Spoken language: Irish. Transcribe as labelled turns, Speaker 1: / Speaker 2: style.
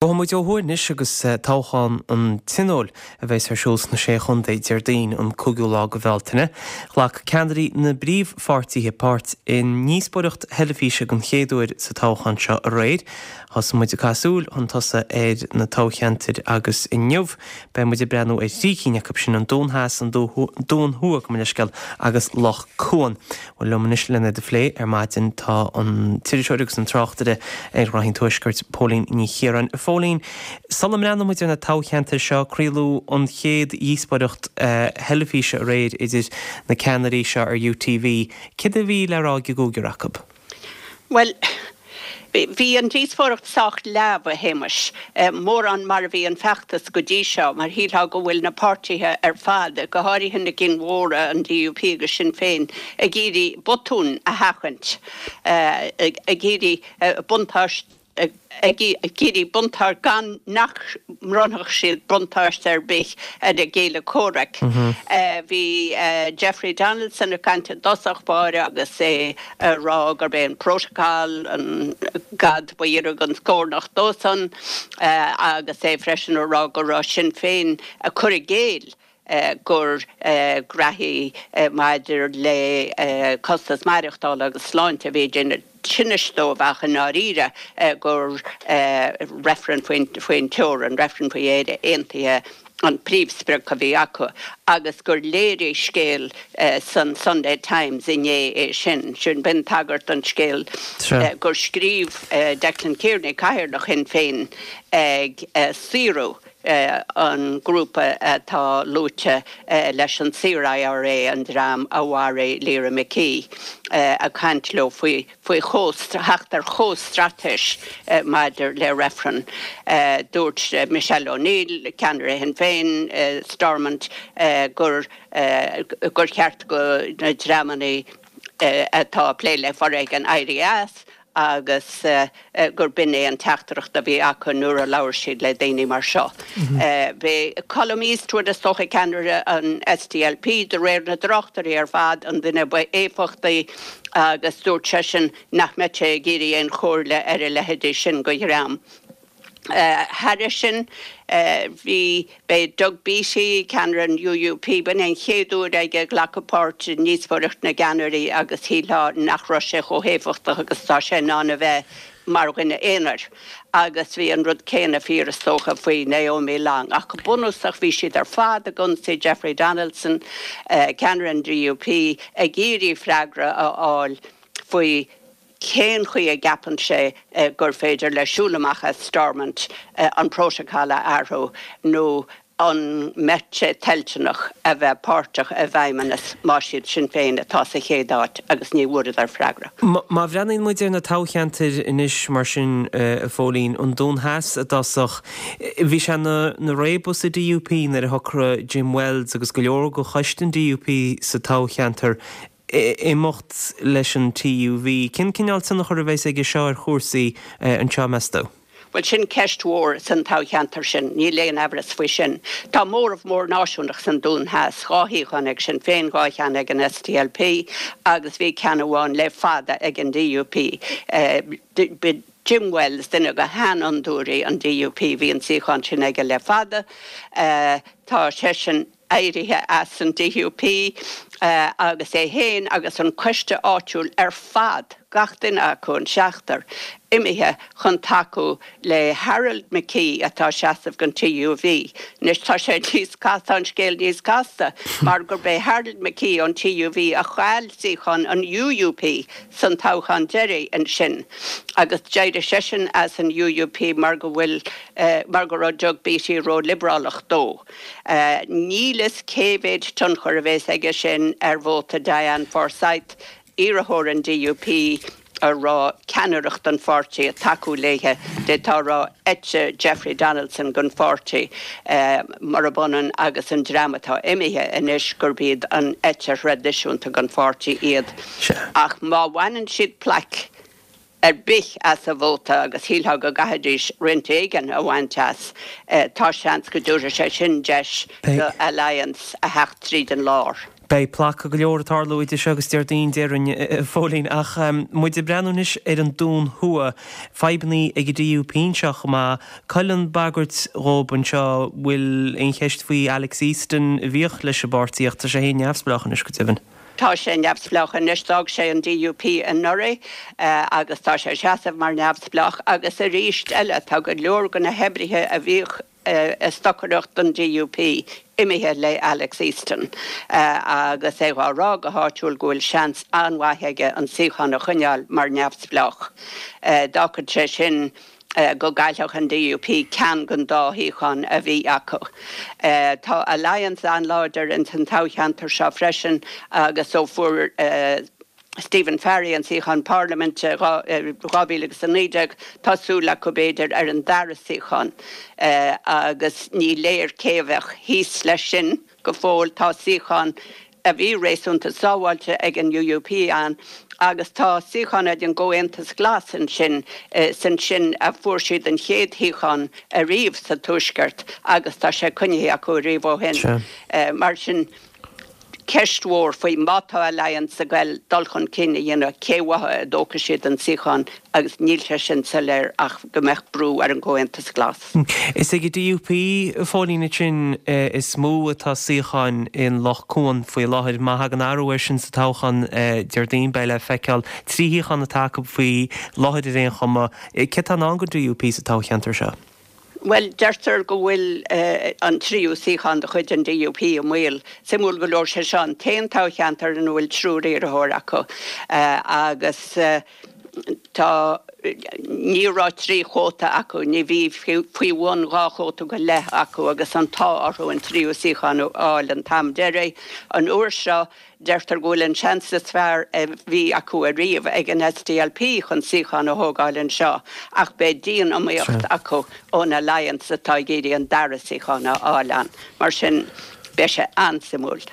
Speaker 1: Gabhfaidh muid ó thuaidh anois agus toghchán an Tionóil a bheas ar siúl sna Sé Chontae Déardaoin an 5ú lá de Bhealtaine. Ghlac ceannairí na bpríomhpháirtithe páirt i ndíospóireacht theilifíse den chéad uair sa toghchán seo aréir. Thosaigh muid ag caitheamh súil chun tosaigh ar na toghcheantair agus inniu beidh muid ag breathnú ar thrí cinn acu sin, an Dún Theas, an Dún Thuaidh, gabh mo leithscéal, agus Loch Cuan. Bhuel, liom anois len iad a phlé ar maidin tá an t-iriseoir agus an tráchtaire ar ghnoithí an Tuaiscirt, Póilín Ní Chiaráin. A Phóilín, sula mbreathnóidh muid ar na toghcheantair seo, craoladh an chéad dhíospóireacht theilifíse aréir idir na ceannairí seo ar UTV. Céard a bhí le rá ag an gcúigear acu?
Speaker 2: Bhuel, bhí an díospóireacht sách leamh, a Shéamais, mórán mar a bhí an feachtas go dtí seo, mar shílfeá go bhfuil na páirtithe ar fad, go háirithe na cinn mhóra, an DUP agus Sinn Féin, ag iarraidh botúin a sheachaint, ag iarraidh buntáiste, ag iarraidh buntáiste, gan nach mbronnfadh siad buntáiste ar bith ar a gcéile comhraic. Bhí Jeffrey Donaldson ag caint i dtosach báire agus é ag rá gurb é an Protocol an gad ba ghiorra don scornach dósan agus é freisin ag rá go raibh Sinn Féin ag cur i gcéill gur graithí maidir le costas maireachtála agus sláinte a bhí ag déanamh tinnis dóibh ach i ndáiríre gur reifreann faoin teorainn, reifreann faoi Éire Aontaithe an príomhsprioc a bhí acu agus gur léirigh scéal san Sunday Times inné é sin. Sin, b'in tagairt don scéal gur scríobh Declan Kearney, Cathaoirleach Shinn Féin, ag saoradh an grúpa atá luaite leis an Saor-IRA, an dream a mharaigh Lyra McKee, ag caint leo faoi faoi theacht ar chomhstraitéis maidir le reifreann. Dúirt Michelle O'Neill, ceannaire Shinn Féin, Stormont, gur gur cheart do na dreamanna atá ag plé le foréigean éirí as agus gur b'in é an teachtaireacht a bhí acu nuair a labhair siad le daoine mar seo. B'é Colum Eastwood, is dócha, ceannaire an SDLP, de réir na dtráchtairí ar fad, an duine ba éifeachtaí agus dúirt seisean nach mbeadh sé ag iarraidh aon chomhairle ar a leithéidí sin de dhream. Thairis sin, bhí, b'é Doug Beattie, ceannaire an UUP, b'in é an chéad uair aige glacadh páirt i ndíospóireacht na gceannairí agus shílfeá nach raibh sé chomh héifeachtach agus atá sé in ann a bheith mar dhuine aonair. Agus bhí an rud céanna fíor is dócha faoi Naomi Long. Ach go bunúsach bhí siad ar fad ag ionsaí Jeffrey Donaldson, ceannaire an DUP, ag iarraidh freagra a fháil faoi cén chaoi a gceapann sé gur féidir le siúl amach as Stormont an Protocol a athrú nó an mbeadh sé toilteanach a bheith páirteach i bhFeidhmeannas más iad Sinn Féin atá sa chéad áit agus ní bhfuaireadar freagra.
Speaker 1: Má bhreathnaíonn muid ar na toghcheantair anois mar sin, a Phóilín, an Dún Theas i dtosach, bhí sé ina réabadh sa DUP nuair a shocraigh Jim Wells agus go leor de choiste an DUP sa toghcheantar imeacht leis an TUV. Cén cineál tionchar a bheas aige seo ar chúrsaí anseo, meas tú?
Speaker 2: Bhuel, sin ceist mhór san toghcheantar sin, níl aon amhras faoi sin. Tá móramh mór náisiúnach san Dún Theas, 2 shuíochán ag Sinn Féin, 2 cheann ag an SDLP agus bhí ceann amháin le fada ag an DUP. B'é Jim Wells, duine de sheanfhondúirí an DUP, bhí an suíochán sin aige le fada. Tá seisean. éirithe as an DUP agus é féin agus an coiste áitiúil ar fad, gach duine acu, an seachtar, imithe chun tacú le Harold McKee atá ag seasamh don TUV. Anois tá sé níos casta, tá an scéal níos casta mar gurb é Harold McKee ón TUV a chaill suíochán an UUP san toghchán deiridh ansin agus d'éirigh seisean as an UUP mar go bhfuil, mar go raibh Doug Beattie ró-liobrálach dó. Níl fhios cé mhéid tionchar a bheas aige sin ar vóta Diane Forsythe, iarrthóir an DUP a raibh ceannaireacht an pháirtí ag tacú léithe, d'fhéadfá a rá eite Jeffrey Donaldson den pháirtí, murab ionann agus an dream atá imithe anois gurb iad an eite thraidisiúnta den pháirtí iad. Ach má bhaineann siad plaic ar bith as an vóta agus shílfeá go gcaithfidís roinnt éigin a bhaint as, tá seans go dtabharfaidh sé sin deis do Alliance a theacht tríd an lár.
Speaker 1: Beidh placadh go leor ag tarlú idir seo agus Déardaoin, déarfainn, a Phóilín. Ach muid ag breathnú anois ar an Dún Thuaidh, fadhbannaí ag an DUP anseo chomh maith. Cá bhfuil an bhagairt dhóib anseo, bhfuil aon cheist faoi Alex Easton a bhíodh leis an bpáirtí ach tá sé féin neamhspleách anois go deimhin.
Speaker 2: Tá sé neamhspleách anois, d'fhág sé an DUP anuraidh agus tá sé ag seasamh mar neamhspleách agus arís eile tá go leor de na hoibrithe a bhíodh ag stocaireacht don DUP imithe le Alex Easton agus é dhá rá go háitiúil go bhfuil seans an-mhaith aige an suíochán a choinneáil mar neamhspleách. D'fhágfadh sé sin go gcaillfeadh an DUP ceann den dá shuíochán a bhí acu. Tá Alliance an-láidir ins an toghcheantar seo freisin agus ó fuair Stephen Farry an suíochán parlaiminte i 2019 tá súil acu b'fhéidir ar an dara suíochán agus ní léir cé a bheadh thíos leis sin go fóill. Tá suíochán a bhí réasúnta sábháilte ag an UUP ann agus tá suíochán ag an gComhaontas Glas ansin, is ansin a fuair siad an chéad shuíochán ariamh sa Tuaisceart agus tá sé coinnithe acu ariamh ó shin. Mar sin, ceist mhór faoi má tá Alliance ag goil dul chun cinn a dhéanamh, cé uathu a dtógfaidh siad an suíochán agus níl sé sin soiléir ach go mbeadh brú ar an gComhaontas Glas.
Speaker 1: Is ag an DUP, a Phóilín, ansin is mó atá suíocháin in Loch Cuan faoi láthair. Má thagann athrú air sin sa toghchán Déardaoin, beidh le feiceáil. 3 shuíochán atá acu faoi láthair ar aon chuma. Céard atá i ndán don DUP sa toghcheantar seo?
Speaker 2: Bhuel, deirtear go bhfuil an tríú suíochán de chuid an DUP i mbaol. Suimiúil go leor, sé seo an t-aon toghcheantar ina bhfuil triúr iarrthóir acu agus tá, ní raibh trí chóta acu, ní bhí faoi bhun dhá chóta go leith acu agus an t-ádh orthu an tríú suíochán a fháil an t-am deiridh. An uair seo, Deirtear go bhfuil an seans is fearr a bhí acu ariamh ag an SDLP chun suíochán a thógáil anseo ach beidh dian-iomaíocht acu ón Alliance atá ag iarraidh an dara suíochán a fháil ann. Mar sin, beidh sé an-suimiúil.